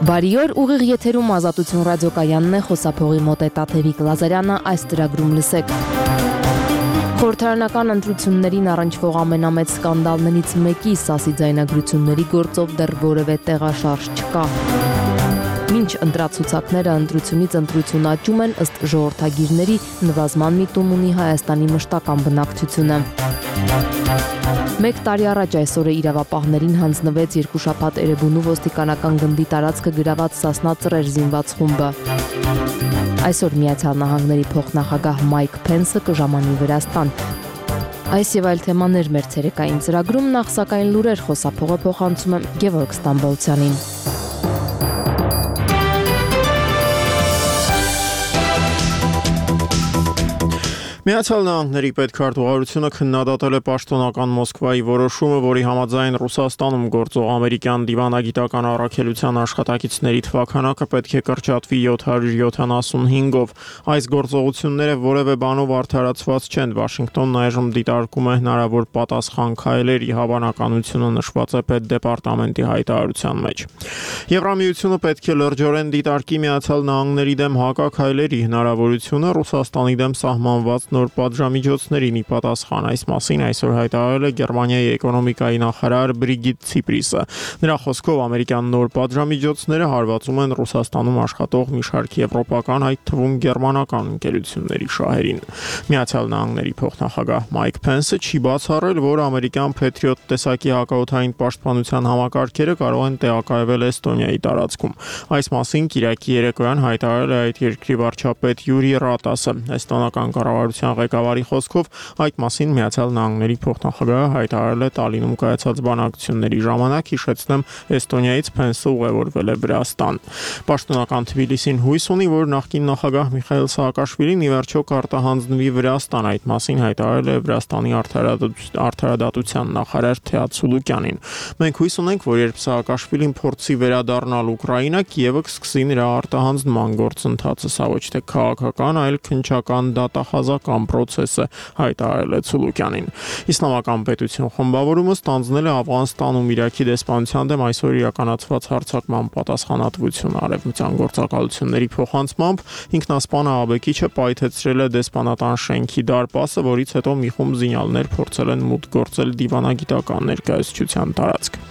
Բարի օր, ուղիղ եթերում Ազատություն ռադիոկայանն է, խոսափողի մոտ է Տաթևիկ Լազարյանը, այս ծրագրում լսեք։ Խորհրդարանական ընտրություններին առնչվող ամենամեծ սկանդալներից մեկի ՍԱՍ-ի ձայնագրությունների գործով դեռ որևէ տեղաշարժ չկա։ Մինչ ընտրացուցակները ընտրությունից ընտրություն աճում են, ըստ ժողովրդագիրների, նվազման միտում ունի Հայաստանի մշտական բնակչությունը։ 1 տարի առաջ այսօրը իրավապահներին հանձնվեց 2 շաբաթ Էրեբունու ոստիկանական գնդի տարածքը գրաված Սասնա ծռեր զինված խումբը։ Այսօր Միացյալ Նահանգների փոխնախագահ Մայք Փենսը կժամանի Վրաստան։ Այս եւ այլ թեմաներ մեր ցերեկային ծրագրում, նախ սակայն լուրեր խոսափողը փոխանցում եմ Գևորգ Ստամբոլցյանին։ Միացյալ Նահանգների պետքարտուղարությունը քննադատել է պաշտոնական Մոսկվայի որոշումը, որի համաձայն Ռուսաստանում գործող ամերիկյան դիվանագիտական առաքելության աշխատակիցների թվաքանակը պետք է կրճատվի 775-ով։ Այս գործողությունները որևէ բանով արդարացված չեն։ Վաշինգտոնն այժմ դիտարկում է հնարավոր պատասխան քայլերի, հավանականությունը նշված է պետդեպարտամենտի հայտարարության մեջ։ Եվրամիությունը պետք է լրջորեն դիտարկի Միացյալ Նահանգների դեմ հակաքայլերի հնարավորությունը Ռուսաստանի դեմ սահմանված նոր պատժամիջոցներին ի պատասխան։ Այս մասին այսօր հայտարարել է Գերմանիայի էկոնոմիկայի նախարար Բրիգիտ Ցիպրիսը։ Նրա խոսքով ամերիկյան նոր պատժամիջոցները հարվածում են Ռուսաստանում աշխատող մի շարք եվրոպական, այդ թվում գերմանական ընկերությունների շահերին։ Միացյալ Նահանգների փոխնախագահ Մայք Փենսը չի բացառել, որ ամերիկյան Patriot տեսակի հակաօդային պաշտպանության համակարգերը կարող են տեղակայվել Էստոնիայի տարածքում։ Այս մասին Կիրակի երեկոյան հայտարարել է այդ երկրի վարչապետ Յուրի Ռատասը։ Էստոնական կառավարության ղեկավարի խոսքով այդ մասին Միացյալ Նահանգների փոխնախագահը հայտարարել է Տալինում կայացած բանակցությունների ժամանակ, հիշեցնեմ, Էստոնիայից Փենսը ուղևորվել է Վրաստան։ Պաշտոնական Թբիլիսին հույս ունի, որ նախկին նախագահ Միխայիլ Սաակաշվիլին ի վերջո կարտահանձնվի Վրաստան, այդ մասին հայտարարել է Վրաստանի արդարադատության նախարար Թեադ Սուլուկյանին։ Մենք հույս ունենք, որ երբ Սաակաշվիլին փորձի վերադառնալ Ուկրաինա, Կիևը կսկսի նրա արտահանձնման գործընթացը, սա ոչ թե քաղաքական, այլ քննչական դատախազական process է, հայտարարել է Ցուլուկյանին։ Իսլամական պետություն խմբավորումը ստանձնել է Աֆղանստանում Իրաքի դեսպանության դեմ այսօր իրականացված հարձակման պատասխանատվություն արևմտյան գործակալությունների փոխանցմամբ ինքնասպան ահաբեկիչը պայթեցրել է դեսպանատան շենքի դարպասը, որից հետո մի խումբ զինյալներ փորձել են մուտք գործել դիվանագիտական ներկայացության տարածք։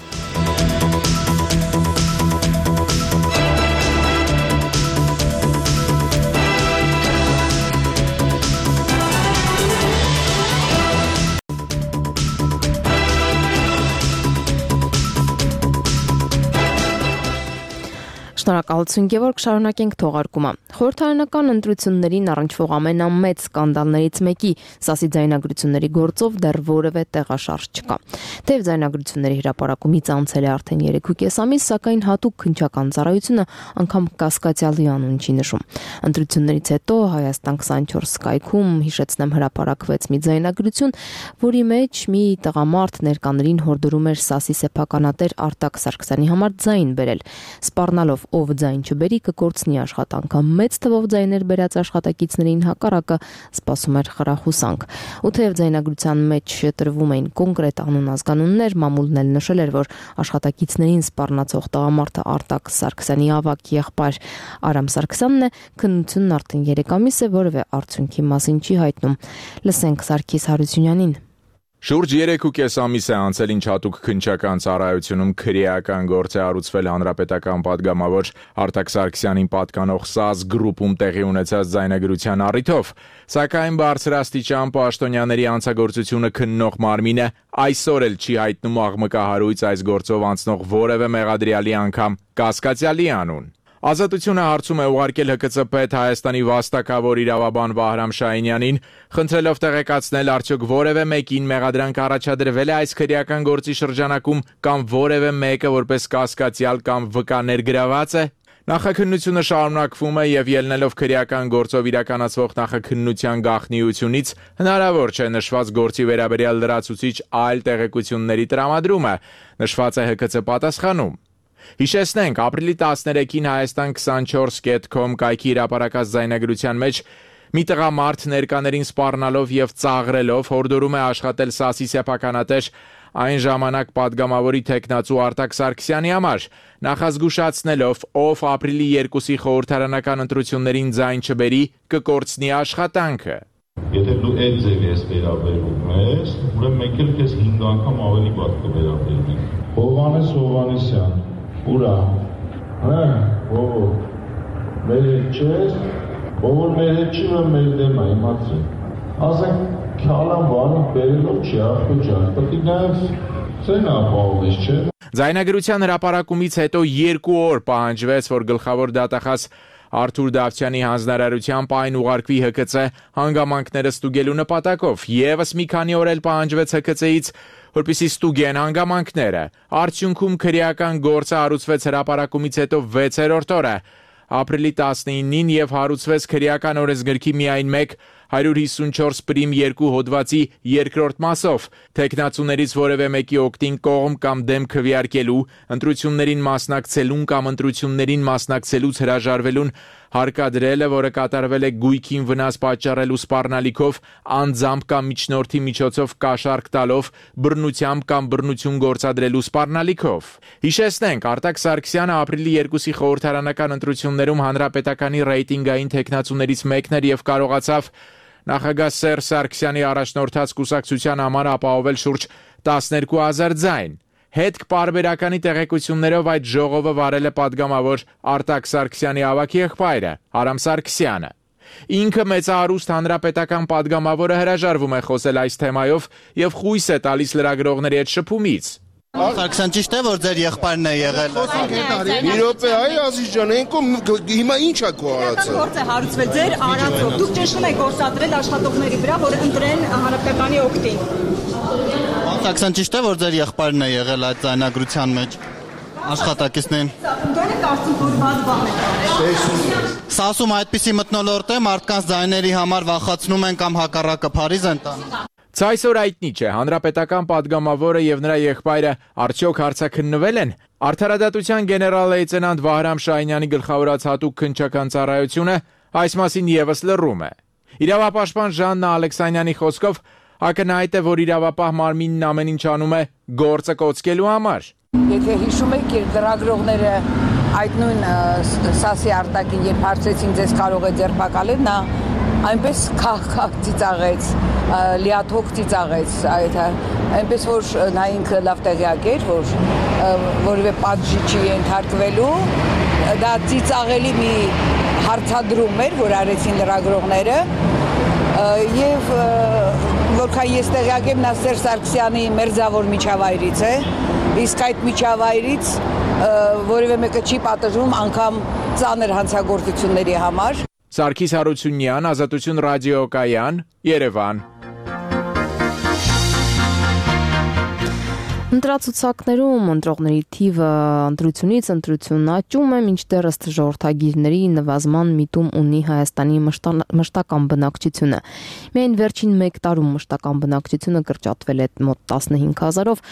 Շնորհակալություն Գևորգ, շարունակենք թողարկումը։ Խորհրդարանական ընտրություններին առնչվող ամենամեծ սկանդալներից մեկի ՍԱՍ-ի ձայնագրությունների գործով դեռ որևէ տեղաշարժ չկա։ Թեև ձայնագրությունների հրապարակումից անցել է արդեն 3.5 ամիս, սակայն հատուկ քննչական ծառայությունը անգամ կասկածյալի անուն չի նշում։ Ընտրություններից հետո Հայաստան 24 Skype-ում, հիշեցնեմ, հրապարակվեց մի ձայնագրություն, որի մեջ մի տղամարդ ներկաներին հորդորում էր ՍԱՍ-ի սեփականատեր Արտակ Սարգսյանի համար ձայն բերել, սպառնալով ով ձայն չբերի կկորցնի աշխատանքը։ Մեծ թվով ձայներ բերած աշխատակիցներին հակառակը սպասում էր խրախուսանք։ Ու թեև ձայնագրության մեջ տրվում էին կոնկրետ անուն ազգանուններ, մամուլն էլ նշել էր, որ աշխատակիցներին սպառնացող տղամարդը Արտակ Սարգսյանի ավագ եղբայր Արամ Սարգսյանն է, քննությունն արդեն 3 ամիս է, որևէ արդյունքի մասին չի հայտնում։ Լսենք Սարգիս Հարությունյանին։ Շուրջ 3.5 ամիս է անցել, ինչ հատուկ քննչական ծառայությունում քրեական գործ է հարուցվել հանրապետական падգամավոր Արտակ Սարգսյանին պատկանող ՍԱՍ գրուպում տեղի ունեցած ձայնագրության առիթով, սակայն բարձրաստիճան պաշտոնյաների անցագործությունը քննող մարմինը այսօր էլ չի հայտնում աղմկահարույց այս գործով անցնող որևէ մեղադրյալի անգամ կասկածյալի անուն։ Ազատությունը հարցում է ուղարկել ՀԿՑ պետ Հայաստանի վաստակավոր իրավաբան Վահրամ Շահինյանին, խնդրելով տեղեկացնել արդյոք որևէ մեկին մեղադրանք առաջադրվել է այս քրեական գործի շրջանակում կամ որևէ մեկը որպես կասկածյալ կամ վկա ներգրաված է։ Նախաքննությունը շարունակվում է եւ ելնելով քրեական գործով իրականացվող նախաքննության գաղտնիությունից հնարավոր չէ նշված գործի վերաբերյալ լրացուցիչ այլ տեղեկությունների տրամադրումը, նշված է ՀԿՑ պատասխանում։ Հիշեցնենք, ապրիլի 13-ին Հայաստան24.com կայքի հրապարակած ձայնագրության մեջ մի տղամարդ ներկաներին սպառնալով եւ ծաղրելով հորդորում է աշխատել ՍԱՍ-ի սեփականատեր այն ժամանակ падգամավորի թեկնածու Արտակ Սարգսյանի համար, նախազգուշացնելով, ով ապրիլի 2-ի խորհրդարանական ընտրություններին ձայն չբերի, կկորցնի աշխատանքը։ Եթե դու այդ ձև ես վերաբերվում ես, ուրեմն մենք էլ քեզ 5 անգամ ավելի վատ կվերաբերվենք։ Հովհաննես Հովհաննիսյան, ուրա, մեր հետ չես, ով մեր հետ չի, մեր դեմ է, իմացի։ Ասենք, քալան բանին բերելով չի, աղբո ջան, պետք է նաև ծեն ապահովես, չէ։ Ձայնագրության հրապարակումից հետո 2 օր պահանջվեց, որ գլխավոր դատախազ Արթուր Դավթյանի հանձնարարությամբ այն ուղարկվի ՀԿՑ հանգամանքները ստուգելու նպատակով, եւս մի քանի օր էլ պահանջվեց ՀԿՑ-ից, որպեսզի ստուգեն հանգամանքները։ Արդյունքում քրեական գործը հարուցվեց հրապարակումից հետո 6-րդ օրը, ապրիլի 19-ին եւ հարուցվեց քրեական օրենսգրքի միայն 154 պրիմ 2 հոդվածի 2-րդ մասով, թեկնածուներից որևէ մեկի օգտին կողմ կամ դեմ քվեարկելու, ընտրություններին մասնակցելուն կամ ընտրություններին մասնակցելուց հրաժարվելուն հարկադրելը, որը կատարվել է գույքին վնաս պատճառելու սպառնալիքով, անձամբ կամ միջնորդի միջոցով կաշառք տալով, բռնությամբ կամ բռնություն գործադրելու սպառնալիքով։ Հիշեցնենք, Արտակ Սարգսյանը ապրիլի 2-ի խորհրդարանական ընտրություններում հանրապետականի ռեյտինգային թեկնածուներից մեկն էր եւ կարողացավ նախագահ Սերժ Սարգսյանի առաջնորդած կուսակցության համար ապահովել շուրջ 12000 ձայն։ Հետք պարբերականի տեղեկություններով այդ ժողովը վարել է падգամավոր Արտակ Սարգսյանի ավագ եղբայրը Արամ Սարգսյանը։ Ինքը մեծահարուստ հանրապետական падգամավորը հրաժարվում է խոսել այս թեմայով եւ խույս է տալիս լրագրողների հետ շփումից։ Սարգսյան ճիշտ է, որ ձեր եղբայրն է եղել։ Մի րոպե, այ Ազիզ ջան, հիմա ինչ է քո արածը։ Գործ է հարուցվել ձեր արածով։ Դուք ճնշում եք գործադրել աշխատողների վրա, որ ընտրեն հանրապետականի օգտին։ Սարգսյան ճիշտ է, որ ձեր եղբայրն է եղել այդ ձայնագրության մեջ աշխատակիցներին։ Դուք կարծում որ բաց բան եք։ Սա ասում այդպիսի մթնոլորտ է, մարդկանց ձայների համար վախացնում են կամ հակառակը Փարիզ են տանում։ Ցայսօր այդնի չէ, հանրապետական падգամավորը եւ նրա եղբայրը արդյոք հարցաքննվել են։ Արդարադատության գեներալ-լեյտենանտ Վահրամ Շահինյանի գլխավորած հատուկ քննչական ծառայությունը այս մասին եւս լռում է։ Իրավապաշտպան Ժաննա Ալեքսանյանի խոսքով ակնհայտ է, որ իրավապահ մարմինն ամեն ինչ անում է գործը կոծկելու համար։ Եթե հիշում եք, լրագրողները այդ նույն Սասի Արտակին, երբ հարցրեցին ձեզ կարող է ձերբակալել, նա այնպես քահ ծիծաղեց, լիաթոք ծիծաղեց, այնպես որ նա ինքը լավ տեղյակ էր, որ որևէ պատժի չի ենթարկվելու, դա ծիծաղելի մի հարցադրում էր, որ արեցին լրագրողները, եւ որքան ես տեղյակ եմ, նա Սերժ Սարգսյանի մերձավոր միջավայրից է, իսկ այդ միջավայրից որևէ մեկը չի պատժվում անգամ ծանր հանցագործությունների համար։ Սարգիս Հարությունյան, Ազատություն ռադիոկայան, Երևան։ Ընտրացուցակներում ընտրողների թիվը ընտրությունից ընտրություն աճում է, մինչդեռ ըստ ժողովրդագիրների նվազման միտում ունի Հայաստանի մշտական բնակչությունը։ Միայն վերջին 1 տարում մշտական բնակչությունը կրճատվել է մոտ 15000-ով,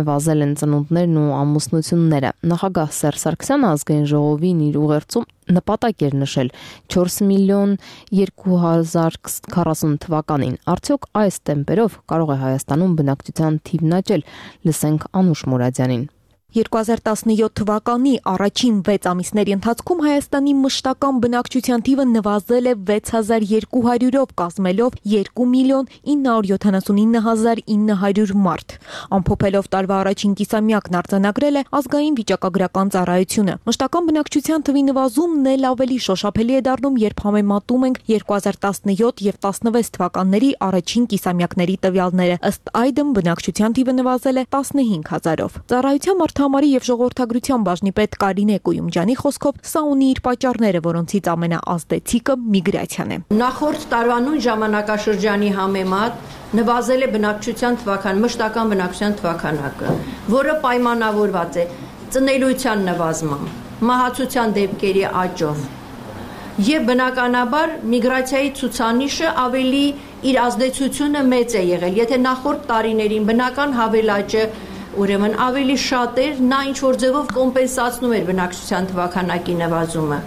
նվազել են ծնունդներն ու ամուսնությունները։ Նախագահ Սերժ Սարգսյանը ազգային ժողովին իր ուղերձում նպատակ էր նշել 4 միլիոն 2040 թվականին։ Արդյոք այս տեմպերով կարող է Հայաստանում բնակչության թիվն աճել։ Լսենք Անուշ Մուրադյանին։ 2017 թվականի առաջին 6 ամիսների ընթացքում Հայաստանի մշտական բնակչության թիվը նվազել է 6200-ով, կազմելով 2 միլիոն 979900 մարդ։ Ամփոփելով տարվա առաջին կիսամյակն արձանագրել է ազգային վիճակագրական ծառայությունը։ Մշտական բնակչության թվի նվազումն էլ ավելի շոշափելի է դառնում, երբ համեմատում ենք 2017 եւ 16 թվականների առաջին կիսամյակների տվյալները։ Ըստ այդմ բնակչության թիվը նվազել է 15000-ով։ Ծառայության Համարի եւ ժողովրդագրության բաժնի պետ Կարինե Կույումջյանի խոսքով սա ունի իր պատճառները, որոնցից ամենաազդեցիկը միգրացիան է։ Նախորդ տարվա նույն ժամանակաշրջանի համեմատ նվազել է բնակչության թվական, մշտական բնակչության թվականակը, որը պայմանավորված է ծնելիության նվազմամբ, մահացության դեպքերի աճով եւ բնականաբար միգրացիայի ցուցանիշը ավելի իր ազդեցությունը մեծ է եղել։ Եթե նախորդ տարիներին բնական հավելաճը ուրեմն ավելի շատ էր, նա ինչ-որ ձևով կոմպենսացնում էր բնակչության թվականակի նվազումը։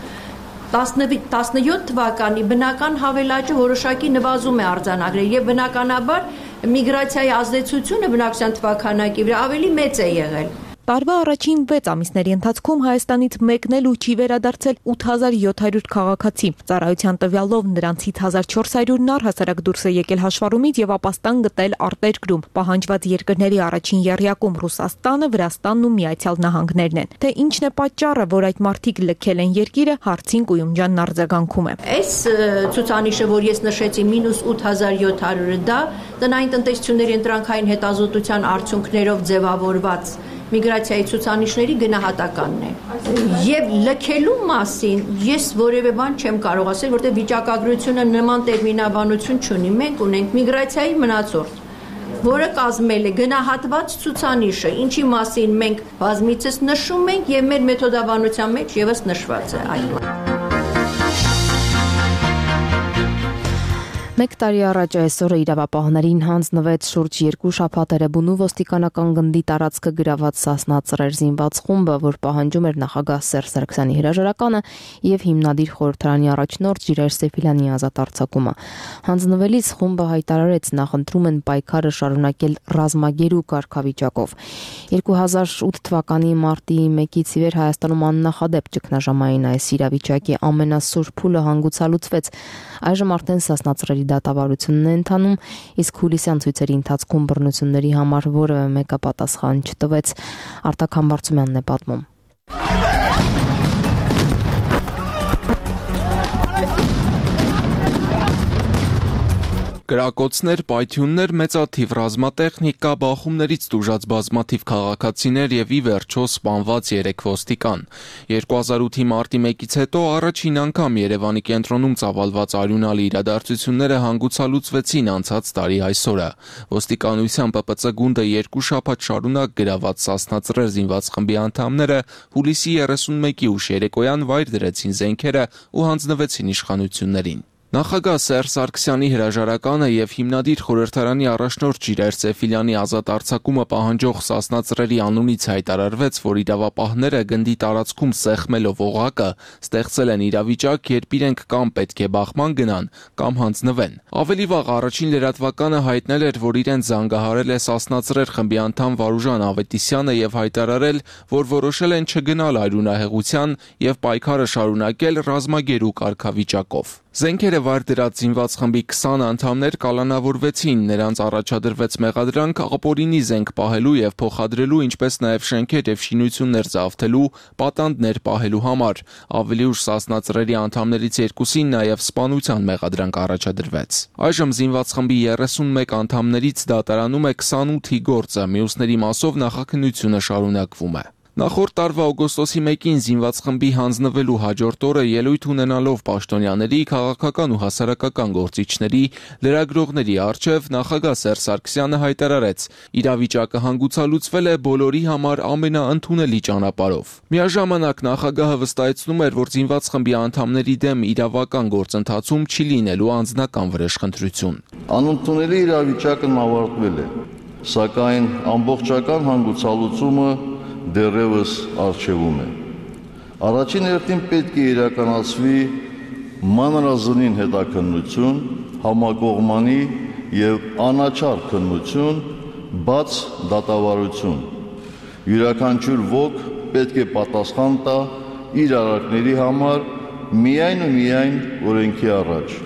17 թվականի բնական հավելաճը որոշակի նվազում է արձանագրել եւ բնականաբար միգրացիայի ազդեցությունը բնակչության թվաքանակի վրա ավելի մեծ է եղել։ Տարվա առաջին 6 ամիսների ընթացքում Հայաստանից մեկն էլ չի վերադարձել 8700 քաղաքացի։ Ծառայության տվյալով նրանցից 1400-ն առհասարակ դուրս է եկել հաշվառումից եւ ապաստան գտել արտերկրում։ Պահանջված երկրների առաջին եռյակում Ռուսաստանը, Վրաստանն ու Միացյալ Նահանգներն են։ Թե ինչն է պատճառը, որ այդ մարդիկ լքել են երկիրը, հարցին Կույումջյանն արձագանքում է։ Այս ցուցանիշը, որ ես նշեցի, -8700-ը դա տնային տնտեսությունների ընտրանքային հետազոտության արդյունքներով ձևավորված միգրացիայի ցուցանիշների գնահատականն է։ Եվ լքելու մասին ես որևէ բան չեմ կարող ասել, որտեղ վիճակագրությունը նման տերմինաբանություն չունի։ Մենք ունենք միգրացիայի մնացորդ, որը կազմել է գնահատված ցուցանիշը, ինչի մասին մենք բազմիցս նշում ենք եւ մեր մեթոդաբանության մեջ եւս նշված է այն։ Մեկ տարի առաջ այսօրը իրավապահներին հանձնվեց շուրջ 2 շաբաթ Էրեբունու ոստիկանական գնդի տարածքը գրաված Սասնա ծռեր զինված խումբը, որ պահանջում էր նախագահ Սերժ Սարգսյանի հրաժարականը եւ հիմնադիր խորհրդարանի առաջնորդ Ժիրայր Սեֆիլյանի ազատ արձակումը։ Հանձնվելիս խումբը հայտարարեց նախընտրում են պայքարը շարունակել ռազմագերու կարգավիճակով։ 2008 թվականի մարտի 1-ից ի վեր Հայաստանում աննախադեպ ճգնաժամային այս իրավիճակի ամենասուր փուլը հանգուցալուծվեց։ Այժմ արդեն Սասնա ծռերի դատավարությունն է ընթանում, իսկ հուլիսյան ցույցերի ընթացքում բռնությունների համար որևէ մեկը պատասխան չտվեց։ Արտակ Համբարձումյանն է պատմում։ Կրակոցներ, պայթյուններ, մեծաթիվ ռազմատեխնիկա, բախումներից տուժած բազմաթիվ քաղաքացիներ եւ ի վերջո սպանված 3 ոստիկան։ 2008-ի մարտի 1-ից հետո առաջին անգամ Երևանի կենտրոնում ծավալված արյունալի իրադարձությունները հանգուցալուծվեցին անցած տարի այսօրը։ Ոստիկանության ՊՊՑ գունդը 2 շաբաթ շարունակ գրաված Սասնա ծռեր զինված խմբի անդամները հուլիսի 31-ի ուշ երեկոյան վայր դրեցին զենքերը ու հանձնվեցին իշխանություններին։ Նախագահ Սերժ Սարգսյանի հրաժարականը եւ հիմնադիր խորհրդարանի առաջնորդ Ժիրայր Սեֆիլյանի ազատ արձակումը պահանջող Սասնա ծռերի անունից հայտարարվեց, որ իրավապահները գնդի տարածքում սեղմելով օղակը ստեղծել են իրավիճակ, երբ իրենք կամ պետք է բախման գնան, կամ հանձնվեն։ Ավելի վաղ առաջին լրատվականը հայտնել էր, որ իրեն զանգահարել է Սասնա ծռեր խմբի անդամ Վարուժան Ավետիսյանը եւ հայտարարել, որ որոշել են չգնալ արյունահեղության եւ պայքարը շարունակել ռազմագերու կարգավիճակով։ Զենքերը վայր դրած զինված խմբի 20 անդամներ կալանավորվեցին, նրանց առաջադրվեց մեղադրանք ապօրինի զենք պահելու եւ փոխադրելու, ինչպես նաեւ շենքեր եւ շինություններ զավթելու, պատանդներ պահելու համար։ Ավելի ուշ Սասնա ծռերի անդամներից 2-ին նաեւ սպանության մեղադրանք առաջադրվեց։ Այժմ զինված խմբի 31 անդամներից դատարանում է 28-ի գործը, մյուսների մասով նախաքննությունը շարունակվում է։ Նախորդ տարվա օգոստոսի 1-ին զինված խմբի հանձնվելու հաջորդ օրը ելույթ ունենալով պաշտոնյաների, քաղաքական ու հասարակական գործիչների, լրագրողների առջև նախագահ Սերժ Սարգսյանը հայտարարեց. իրավիճակը հանգուցալուծվել է բոլորի համար ամենաընդունելի ճանապարհով։ Միաժամանակ նախագահը վստահեցնում էր, որ զինված խմբի անդամների դեմ իրավական գործընթացում չի լինելու անձնական վրեժխնդրություն։ Անընդունելի իրավիճակն ավարտվել է, սակայն ամբողջական հանգուցալուծումը դեռևս առջևում է։ Առաջին հերթին պետք է իրականացվի մանրազնին հետաքննություն, համակողմանի եւ անաչառ քննություն, բաց դատավարություն։ Յուրաքանչյուր ոք պետք է պատասխան տա իր արարքների համար միայն ու միայն օրենքի առաջ։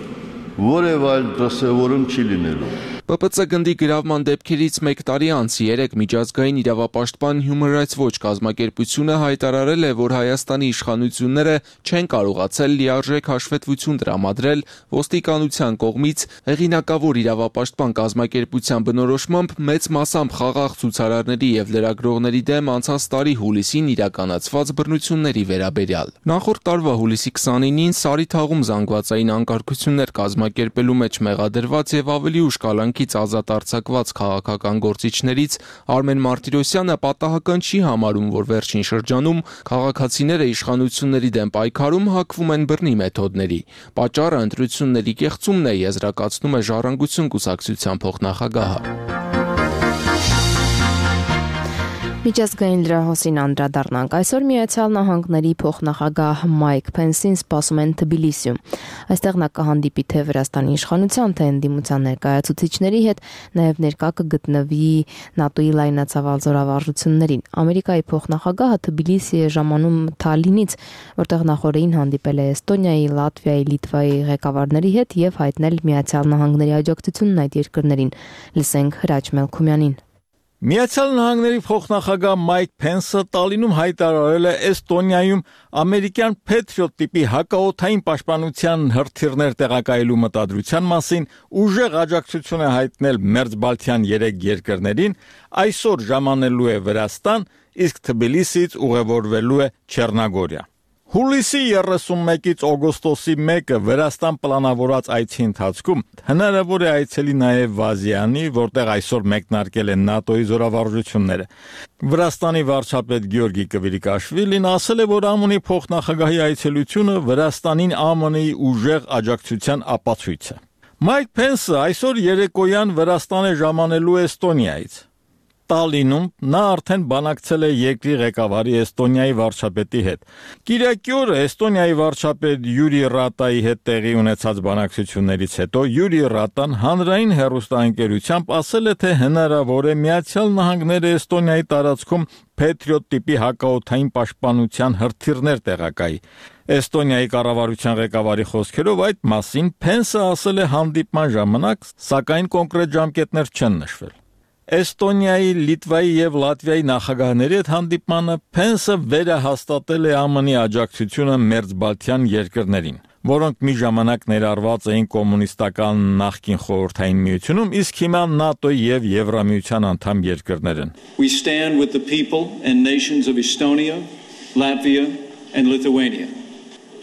Որևէ այլ դրսևորում չի լինելու։ ՊՊՑ գնդի գրավման դեպքերից 1 տարի անց 3 միջազգային իրավապաշտպան Human Rights Watch կազմակերպությունը հայտարարել է, որ Հայաստանի իշխանությունները չեն կարողացել լիարժեք հաշվետվություն տրամադրել ոստիկանության կողմից հեղինակավոր իրավապաշտպան կազմակերպության բնորոշմամբ մեծ մասամբ խաղաղ ցուցարարների եւ լրագրողների դեմ անցած տարի հուլիսին իրականացված բռնությունների վերաբերյալ։ Նախորդ տարվա հուլիսի 29-ին Սարիթաղում զանգվածային անկարգություններ կազմակերպելու մեջ մեղադրված եւ ավելի ուշ կալանքից ազատ արձակված քաղաքական գործիչներից Արմեն Մարտիրոսյանը պատահական չի համարում, որ վերջին շրջանում քաղաքացիները իշխանությունների դեմ պայքարում հակվում են բռնի մեթոդների։ Պատճառը ընտրությունների կեղծումն է, եզրակացնում է Ժառանգություն կուսակցության փոխնախագահը։ Միջազգային լրահոսին անդրադառնանք։ Այսօր Միացյալ Նահանգների փոխնախագահ Մայք Փենսին սպասում են Թբիլիսիում։ Այստեղ նա կհանդիպի թե Վրաստանի իշխանության, թե ընդդիմության ներկայացուցիչների հետ, նաև ներկա կգտնվի ՆԱՏՕ-ի լայնածավալ զորավարժություններին։ Ամերիկայի փոխնախագահը Թբիլիսի է ժամանում Թալինից, որտեղ նախորդին հանդիպել է Էստոնիայի, Լատվիայի, Լիտվայի ղեկավարների հետ եւ հայտնել Միացյալ Նահանգների աջակցությունն այդ երկրներին։ Լսենք Հրաչ Մելքումյանին։ Միացյալ Նահանգների փոխնախագահ Մայք Փենսը Տալինում հայտարարել է Էստոնիայում ամերիկյան Patriot տիպի հակաօդային պաշտպանության հրթիռներ տեղակայելու մտադրության մասին ուժեղ աջակցություն է հայտնել Մերձբալթյան 3 երկրներին, այսօր ժամանելու է Վրաստան, իսկ Թբիլիսից ուղևորվելու է Չեռնագորիա։ Հուլիսի 31-ից օգոստոսի 1-ը Վրաստան պլանավորած այցի ընթացքում հնարավոր է այցելի նաև Վազյանի, որտեղ այսօր մեկնարկել են ՆԱՏՕ-ի զորավարժությունները։ Վրաստանի վարչապետ Գյորգի Կվիրիկաշվիլին ասել է, որ ԱՄՆ-ի փոխնախագահի այցելությունը Վրաստանին ԱՄՆ-ի ուժեղ աջակցության ապացույց է։ Մայք Փենսը այսօր երեկոյան Վրաստան է ժամանելու Էստոնիայից։ Տալինում նա արդեն բանակցել է երկրի ղեկավարի Էստոնիայի վարչապետի հետ։ Կիրակի օրը Էստոնիայի վարչապետ Յուրի Ռատայի հետ տեղի ունեցած բանակցություններից հետո Յուրի Ռատան հանրային հեռուստաընկերությամբ ասել է, թե հնարավոր է Միացյալ Նահանգները Էստոնիայի տարածքում Patriot տիպի հակաօդային պաշտպանության հրթիռներ տեղակայի։ Էստոնիայի կառավարության ղեկավարի խոսքերով այդ մասին Փենսը ասել է հանդիպման ժամանակ, սակայն կոնկրետ ժամկետներ չեն նշվել։ Էստոնիայի, Լիտվայի եւ Լատվիայի նախագահների հետ հանդիպմանը Փենսը վերահաստատել է ԱՄՆ-ի աջակցությունը Մերձբալթյան երկրներին, որոնք մի ժամանակ ներառված էին կոմունիստական նախկին խորհրդային միությունում, իսկ հիմա ՆԱՏՕ-ի եւ Եվրամիության անդամ երկրներ են։ We stand with the people and nations of Estonia, Latvia and Lithuania,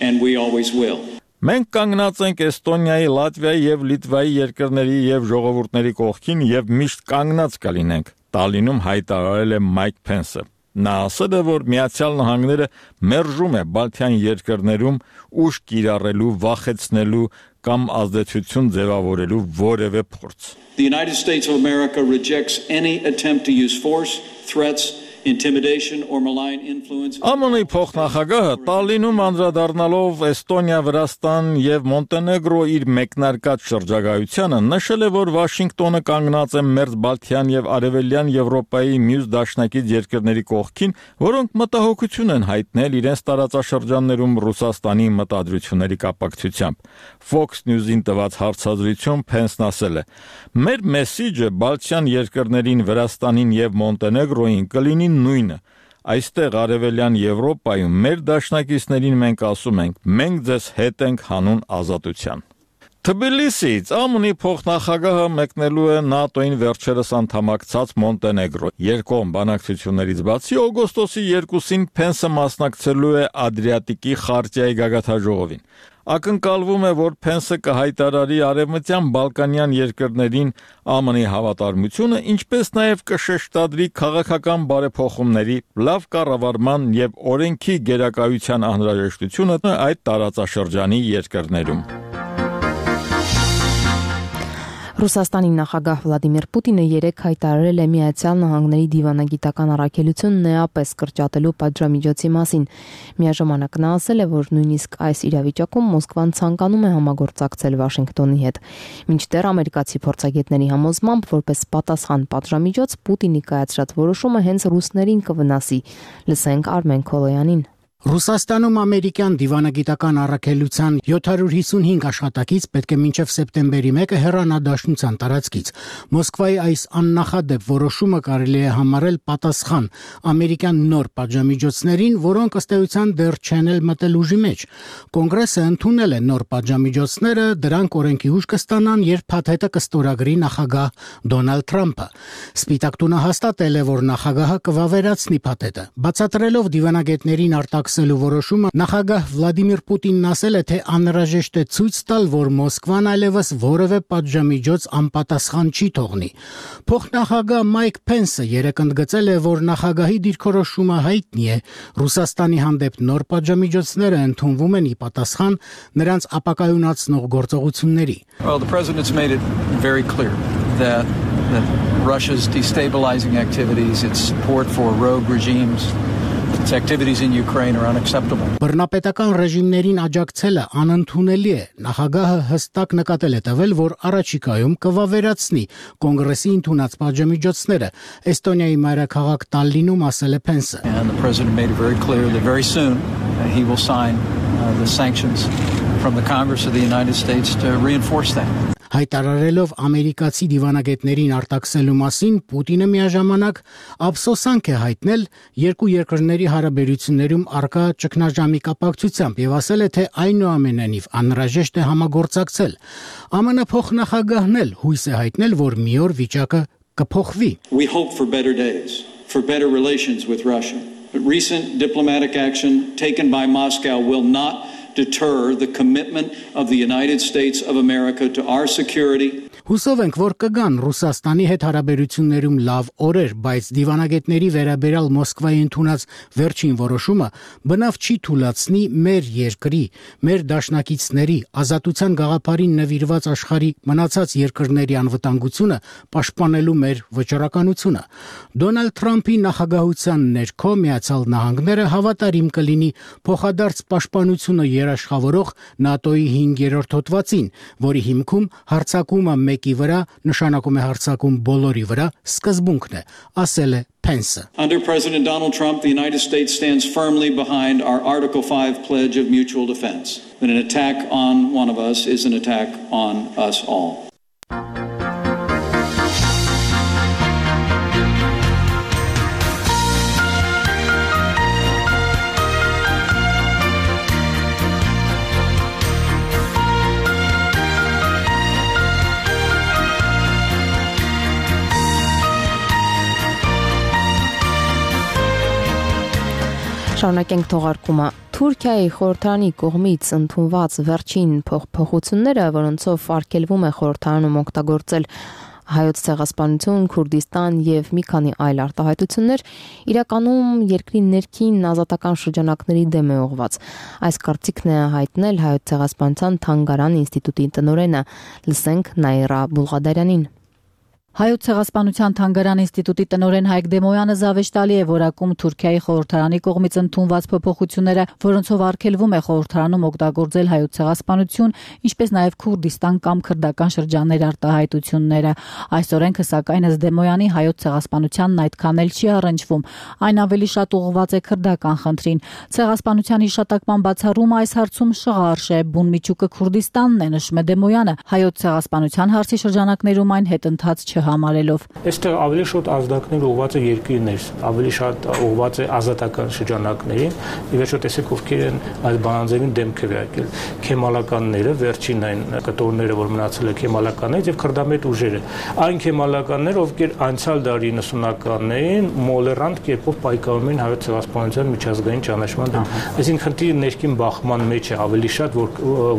and we always will. Մենք կանգնած ենք Էստոնիայի, Լատվիայի եւ Լիտվայի երկրների եւ ժողովուրդների կողքին եւ միշտ կանգնած կլինենք, Տալինում հայտարարել է Մայք Փենսը։ Նա ասել է, որ Միացյալ Նահանգները մերժում է Բալթյան երկրներում ուժ կիրառելու, վախեցնելու կամ ազդեցություն ձևավորելու որևէ փորձ։ The United States of America rejects any attempt to use force, threats, intimidation or malign influence. ԱՄՆ-ի փոխնախագահը Տալինում անդրադառնալով Էստոնիա, Վրաստան եւ Մոնտենեգրո իր մեկնարկած շրջագայությանը նշել է, որ Վաշինգտոնը կանգնած է Մերձբալթյան եւ Արևելյան Եվրոպայի մյուս դաշնակից երկրների կողքին, որոնք մտահոգություն են հայտնել իրենց տարածաշրջաններում Ռուսաստանի մտադրությունների կապակցությամբ։ Fox News-ին տված հարցազրույցում Փենսն ասել է. «Մեր մեսիջը Բալթյան երկրներին, Վրաստանին եւ Մոնտենեգրոին կլինի նույնը։ Այստեղ Արևելյան Եվրոպայում մեր դաշնակիցներին մենք ասում ենք, մենք ձեզ հետ ենք հանուն ազատության»։ Թբիլիսից ԱՄՆ-ի փոխնախագահը մեկնելու է ՆԱՏՕ-ին վերջերս անդամակցած Մոնտենեգրո։ Երկկողմ բանակցություններից բացի օգոստոսի 2-ին Փենսը մասնակցելու է Ադրիատիկի խարտիայի գագաթնաժողովին։ Ակնկալվում է, որ Փենսը կհայտարարի արևմտյան բալկանյան երկրներին ԱՄՆ-ի հավատարմությունը, ինչպես նաև կշեշտադրի քաղաքական բարեփոխումների, լավ կառավարման եւ օրենքի գերակայության անհրաժեշտությունը այդ տարածաշրջանի երկրներում։ Ռուսաստանի նախագահ Վլադիմիր Պուտինը երեկ հայտարարել է Միացյալ Նահանգների դիվանագիտական առաքելությունն էապես կրճատելու պատժամիջոցի մասին։ Միաժամանակ նա ասել է, որ նույնիսկ այս իրավիճակում Մոսկվան ցանկանում է համագործակցել Վաշինգտոնի հետ։ Մինչդեռ ամերիկացի փորձագետների համոզմամբ, որպես պատասխան պատժամիջոց Պուտինի կայացրած որոշումը հենց ռուսներին կվնասի։ Լսենք Արմեն Քոլոյանին։ Ռուսաստանում ամերիկյան դիվանագիտական առաքելության 755 աշխատակից պետք է մինչև սեպտեմբերի 1-ը հեռանա դաշնության տարածքից։ Մոսկվայի այս աննախադեպ որոշումը կարելի է համարել պատասխան ամերիկյան նոր պատժամիջոցներին, որոնք ըստ էության դեռ չեն էլ մտել ուժի մեջ։ Կոնգրեսը ընդունել է նոր պատժամիջոցները, դրանք օրենքի ուժ կստանան, երբ փաթեթը կստորագրի նախագահ Դոնալդ Թրամփը։ Սպիտակ տունը հաստատել է, որ նախագահը կվավերացնի փաթեթը։ Բացատրելով դիվանագետներին արտաքսելու որոշումը, նախագահ Վլադիմիր Պուտինն ասել է, թե անհրաժեշտ է ցույց տալ, որ Մոսկվան այլևս որևէ պատժամիջոց անպատասխան չի թողնի։ Փոխնախագահ Մայք Փենսը երեկ ընդգծել է, որ նախագահի դիրքորոշումը հայտնի է։ Ռուսաստանի հանդեպ նոր պատժամիջոցները ընդունվում են ի պատասխան նրանց ապակայունացնող գործողությունների։ Well, the president's made it very clear that Russia's destabilizing activities, its support for rogue regimes, its activities in Ukraine are unacceptable. Բռնապետական ռեժիմներին աջակցելը անընդունելի է։ Նախագահը հստակ նկատել է տվել, որ առաջիկայում կվավերացնի կոնգրեսի ընդունած պատժամիջոցները, Էստոնիայի մայրաքաղաք Տալլինում ասել է Փենսը։ And the president made it very clear that very soon he will sign the sanctions from the Congress of the United States to reinforce that. Հայտարարելով ամերիկացի դիվանագետներին արտաքսելու մասին, Պուտինը միաժամանակ ափսոսանք է հայտնել երկու երկրների հարաբերություններում առկա ճգնաժամի կապակցությամբ եւ ասել է, թե այնուամենայնիվ անհրաժեշտ է համագործակցել։ ԱՄՆ փոխնախագահն էլ հույս է հայտնել, որ մի օր վիճակը կփոխվի։ We hope for better days, for better relations with Russia. But recent diplomatic action taken by Moscow will not deter the commitment of the United States of America to our security. Հուսով ենք, որ կգան Ռուսաստանի հետ հարաբերություններում լավ օրեր, բայց դիվանագետների վերաբերյալ Մոսկվայի ընդունած վերջին որոշումը բնավ չի թույլատնի մեր երկրի, մեր դաշնակիցների, ազատության գաղափարին նվիրված աշխարհի մնացած երկրների անվտանգությունը պաշտպանելու մեր վճռականությունը։ Դոնալդ Թրամփի նախագահության ներքո Միացյալ Նահանգները հավատարիմ կլինի փոխադարձ պաշտպանությունը երաշխավորող ՆԱՏՕ-ի 5-րդ հոդվածին, որի հիմքում հարձակումը մեկի վրա նշանակում է հարձակում բոլորի վրա, սկզբունքն է, ասել է Փենսը։ Under President Donald Trump, the United States stands firmly behind our Article 5 pledge of mutual defense. That an attack on one of us is an attack on us all. Շարունակենք թողարկումը։ Թուրքիայի խորհրդարանի կողմից ընդունված վերջին փոփոխությունները, որոնցով արգելվում է խորհրդարանում օգտագործել հայոց ցեղասպանություն, Քուրդիստան եւ մի քանի այլ արտահայտություններ, իրականում երկրի ներքին ազատական շրջանակների դեմ է ուղղված։ Այս կարծիքն է հայտնել հայոց ցեղասպանության թանգարան ինստիտուտի տնօրենը։ Լսենք Նաիրա Բուլղադարյանին։ Հայոց ցեղասպանության թանգարան ինստիտուտի տնօրեն Հայկ Դեմոյանը զավեշտալի է որակում Թուրքիայի խորհրդարանի կողմից ընդունված փոփոխությունները, որոնցով արգելվում է խորհրդարանում օգտագործել հայոց ցեղասպանություն, ինչպես նաև Քուրդիստան կամ քրդական շրջաններ արտահայտությունները։ Այս օրենքը սակայն ըստ Դեմոյանի հայոց ցեղասպանությանն այդքան էլ չի առնչվում, այն ավելի շատ ուղղված է քրդական խնդրին։ Ցեղասպանության հիշատակման բացառումը այս հարցում շղարշ է, բուն միջուկը Քուրդիստանն է, նշում է Դեմոյանը, հայոց ցեղասպանության հարցի շրջանակներում այն հետընթաց համարելով։ Այստեղ ավելի շատ ազդակներ ուղղված է երկրներ, ավելի շատ ուղղված է ազատական շրջանակներին, ի վերջո տեսեք ովքեր են այս բանաձևին դեմ քվեարկել։ Քեմալականները, վերջին այն կտորները, որ մնացել է քեմալականներից եւ քրդամետ ուժերը։ Այն քեմալականները, ովքեր անցյալ դարի 90-ականներին մոլերանտ կերպով պայքարում են հայոց ցեղասպանության միջազգային ճանաչման դեմ։ Այսինքն խնդիրը ներքին բախման մեջ է ավելի շատ, որ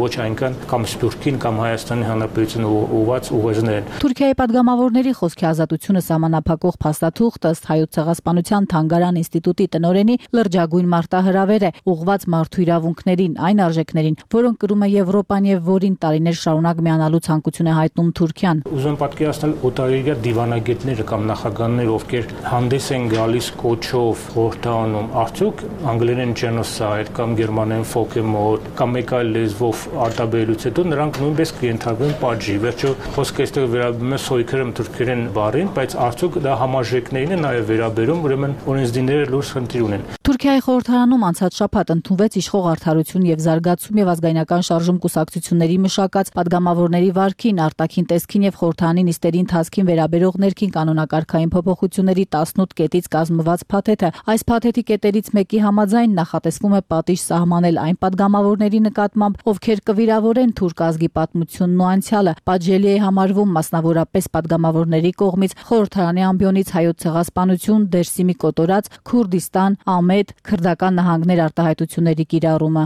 ոչ այնքան կամ Սփյուռքին կամ Հայաստանի Հանրապետությունը ուղղված ուղերձներ են։ Թուրքիայի падգամավորների խոսքի ազատությունը սահմանափակող փաստաթուղթ ըստ հայոց ցեղասպանության թանգարան ինստիտուտի տնօրենի լրջագույն մարտահրավեր է ուղղված մարդու իրավունքներին, այն արժեքներին, որոնք կրում է Եվրոպան եւ որին տարիներ շարունակ միանալու ցանկություն է հայտնում Թուրքիան։ Ուզում եմ պատկերացնել օտարերկրյա դիվանագետները կամ նախագահները, ովքեր հանդես են գալիս կոչով խորհրդարանում, արդյոք անգլերեն genocide կամ գերմաներեն Völkermord կամ մեկ այլ լեզվով արտաբերելուց հետո նրանք նույնպես կընթարկվեն պատժի։ Վերջո խոսքը այստեղ վերաբերում է սոյքերեմ թուրքերեն բառին, բայց արդյոք դա համաժեքներին է նաև վերաբերում, ուրեմն օրենսդիրները լուրջ խնդիր ունեն։ Թուրքիայի խորհրդարանում անցած շաբաթ ընդունվեց իշխող արդարություն եւ զարգացում եւ ազգայնական շարժում կուսակցությունների մշակած падգամավորների վարքին, արտաքին տեսքին եւ խորհրդարանի նիստերի ընթացքին վերաբերող ներքին կանոնակարգային փոփոխությունների 18 կետից կազմված փաթեթը։ Այս փաթեթի կետերից մեկի համաձայն նախատեսվում է պատիժ սահմանել այն падգամավորների նկատմամբ, ովքեր կվիրավորեն թուրք ազգի պատմությունն ու անցյալը։ Պատժելի է համարվում մասնավորապես падգամավորների կողմից խորհրդարանի ամբիոնից հայոց ցեղասպանություն, Դերսիմի կոտորած, Քուրդիստան, Ամեդ, քրդական նահանգներ արտահայտությունների կիրառումը։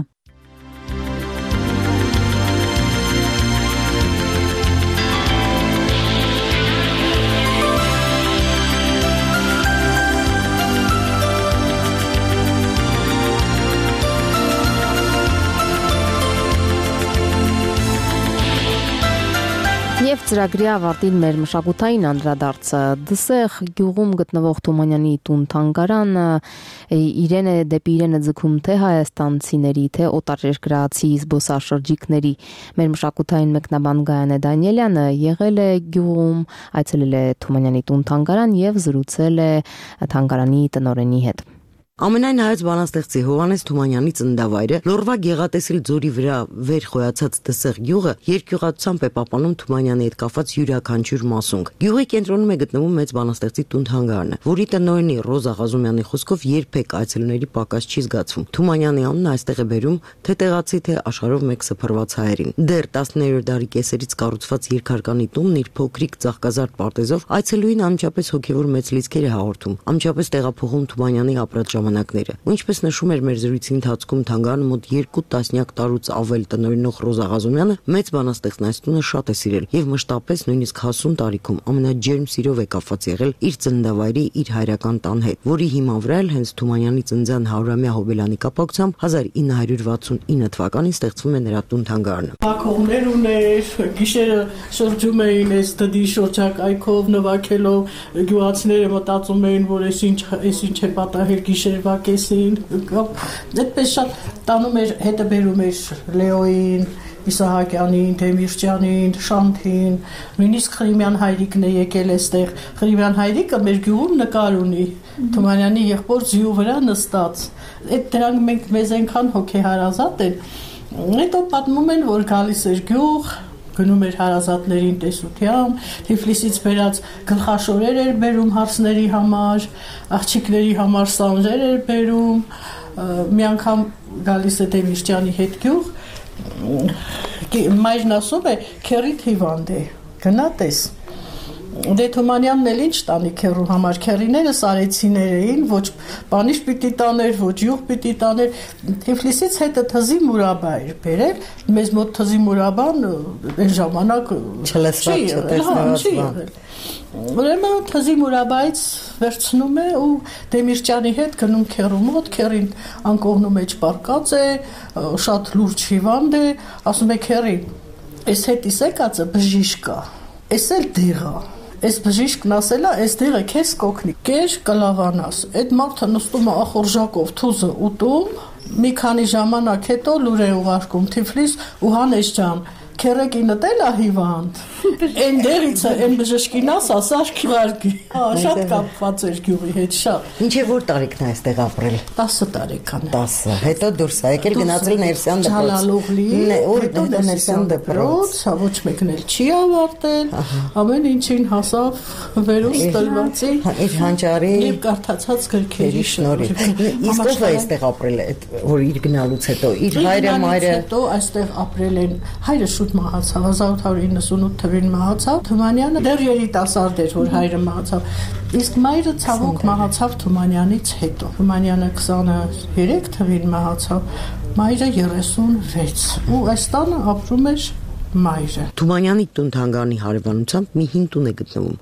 Ծրագրի ավարտին մեր մշակութային անդրադարձը Դսեղ գյուղում գտնվող Թումանյանի տուն-թանգարանը իրեն է դեպի իրենը ձգում թե հայաստանցիների, թե օտարերկրացի զբոսաշրջիկների։ Մեր մշակութային մեկնաբան Գայանե Դանիելյանը եղել է գյուղում, այցելել է Թումանյանի տուն-թանգարան եւ զրուցել է թանգարանի տնօրենի հետ։ Ամենայն հայոց բանաստեղծի Հովհաննես Թումանյանի ծննդավայրը Լոռվա գեղատեսիլ ձորի վրա վեր խոյացած Դսեղ գյուղը երկյուղացությամբ է պահպանում Թումանյանի հետ կապված յուրաքանչյուր մասունք։ Գյուղի կենտրոնում է գտնվում մեծ բանաստեղծի տուն-թանգարանը, որի տնօրենի Ռոզա Ղազումյանի խոսքով երբեք այցելուների պակաս չի զգացվում։ Թումանյանի անունը այստեղ է բերում թե տեղացի, թե աշխարհով մեկ սփռված հայերին։ Դեռ 19-րդ դարի կեսերից կառուցված երկհարկանի տունն իր փոքրիկ ծաղկազարդ պարտեզով այցելուին անմիջապես հոգևոր մեծ լիցքեր է հաղորդում, անմիջապես տեղափոխում Թումանյանի ապրած ժամանակները։ Ինչպես նշում էր մեր զրույցի ընթացքում թանգարանը մոտ 2 տասնյակ տարուց ավել տնօրենող Ռոզա Ղազումյանը մեծ բանաստեղծն այս տունը շատ է սիրել եւ մշտապես նույնիսկ հասուն տարիքում ամենաջերմ սիրով է կապված եղել իր ծննդավայրի, իր հայրական տան հետ, որի հիման վրա էլ հենց Թումանյանի ծննդյան 100-ամյա հոբելանի կապակցությամբ 1969 թվականին ստեղծվում է նրա տուն-թանգարանը։ Հակողներ ուներ, գիշերը շրջում էին այս դդի շրջակայքով նվագելով, գյուղացիները մտածում էին, որ այս ինչ է պատահել գիշերվա կեսին, այդպես շատ տանում էր, հետը բերում էր Լեոյին, Իսահակյանին, Դեմիրճյանին, Շանթին, նույնիսկ Խրիմյան հայրիկն է եկել այստեղ։ Խրիմյան հայրիկը մեր գյուղում նկար ունի, Թումանյանի եղբոր ձիու վրա նստած։ Այդ դրանք մենք մեզ այնքան հոգեհարազատ են։ Հետո պատմում են, որ գալիս էր գյուղ, գնում էր հարազատներին տեսությամբ, Թիֆլիսից բերած գլխաշորեր էր բերում հարսների համար, աղջիկների համար սանժեր էր բերում, մի անգամ գալիս է Դեմիրճյանի հետ գյուղ, մայրն ասում է քեռիդ հիվանդ է, գնա տես։ Դե Թումանյանն էլ ինչ տանի քեռու համար, քեռիները սարեցիներ էին, ոչ բանիշ պիտի տաներ, ոչ յուղ պիտի տաներ, Թիֆլիսից հետը թզի մուրաբա էր բերել, մեզ մոտ թզի մուրաբան այն ժամանակ չի եղել։ Ուրեմն թզի մուրաբայից վերցնում է ու Դեմիրճյանի հետ գնում քեռու մոտ, քեռին անկողնու մեջ պարկած է, շատ լուրջ հիվանդ է, ասում է քեռին, այս հետիս եկածը բժիշկ է, այս էլ դեղ է։ Այս բժիշկն ասել է, այս դեղը քեզ կօգնի, կեր կլավանաս։ Այդ մարդը նստում է ախորժակով թուզը ուտում, մի քանի ժամանակ հետո լուր է ուղարկում Թիֆլիս ու Հանես ջան, քերեկինդ էլ է հիվանդ։ Այն դերից է, այն բժշկին ասա քիվարգի։ Շատ կապված էր գյուղի հետ, շատ։ Ինչ է որ տարիքն է այստեղ ապրել։ 10 տարեկան։ 10, հետո դուրս է եկել գնացել Ներսյան դպրոց։ Ջալալօղլի, հետո Ներսյան դպրոց, ոչ մեկն էլ չի ավարտել, ամեն ինչին հասավ վերուս տրվածի իր հանճարի եւ կարդացած գրքերի շնորհիվ։ Իսկ ով է այստեղ ապրել, որ իր գնալուց հետո, իր հայրը, մայրը։ Հետո այստեղ ապրել են, հայրը շուտ մահացավ, 1898 թվականին մահացավ, Թումանյանը դեռ երիտասարդ էր, որ հայրը մահացավ, իսկ մայրը ցավոք մահացավ Թումանյանից հետո։ Թումանյանը 23 թվականին մահացավ, մայրը 36 ու այս տանը ապրում էր մայրը։ Թումանյանի տուն-թանգարանի հարևանությամբ մի հին տուն է գտնվում։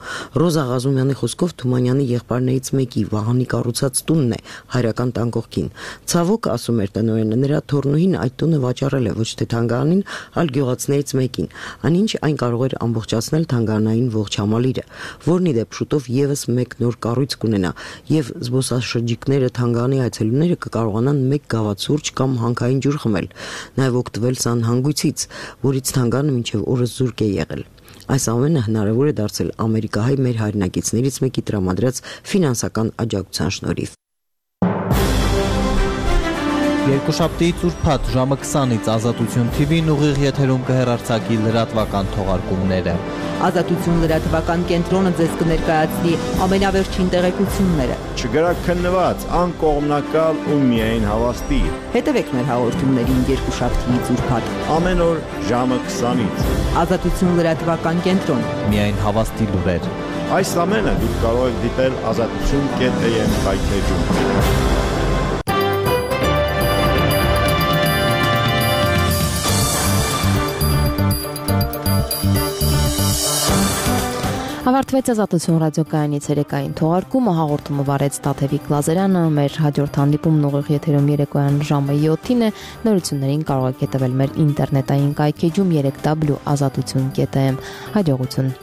Ռոզա Ղազումյանի խոսքով Թումանյանի եղբայրներից մեկի Վահանի կառուցած տունն է հայրական տան կողքին։ Ցավոք, ասում էր տնօրենը, նրա թորնուհին այդ տունը վաճառել է ոչ թե թանգարանին, այլ գյուղացիներից մեկին, այնինչ այն կարող էր ամբողջացնել թանգարանային ողջ համալիրը, որն ի դեպ շուտով եւս մեկ նոր կառույց կունենա, եւ զբոսաշրջիկները թանգարանի այցելուները կկարողանան մեկ գավաթ սուրճ կամ հանքային ջուր խմել, նաեւ օգտվել սանհանգույցից, որից մինչև օրս զուրկ է եղել։ Այս ամենը հնարավոր է դարձել ամերիկահայ մեր հայրենակիցներից մեկի տրամադրած ֆինանսական աջակցության շնորհիվ։ Երկուշաբթիից ուրբաթ ժամը 20-ից Ազատություն TV-ն ուղիղ եթերում կհեռարձակի լրատվական թողարկումները։ Ազատություն լրատվական կենտրոնը ձեզ կներկայացնի ամենավերջին տեղեկությունները։ Չգրակ քննված, անկողմնակալ ու միայն հավաստի։ Հետևեք մեր հաղորդումներին երկուշաբթիից ուրբաթ։ Ամեն օր ժամը 20-ից։ Ազատություն լրատվական կենտրոն։ Միայն հավաստի լուրեր։ Այս ամենը դուք կարող եք դիտել azatutun.am հայթեջում։ Ավարտվեց Ազատություն ռադիոկայանից երեկային թողարկումը, հաղորդումը վարեց Տաթևիկ Լազարյանը, մեր հաջորդ հանդիպումն ուղիղ եթերում երեկոյան ժամը 7-ին է, նորություններին կարող եք հետևել մեր ինտերնետային կայքեջում 3w.azatutun.am, հաջողություն։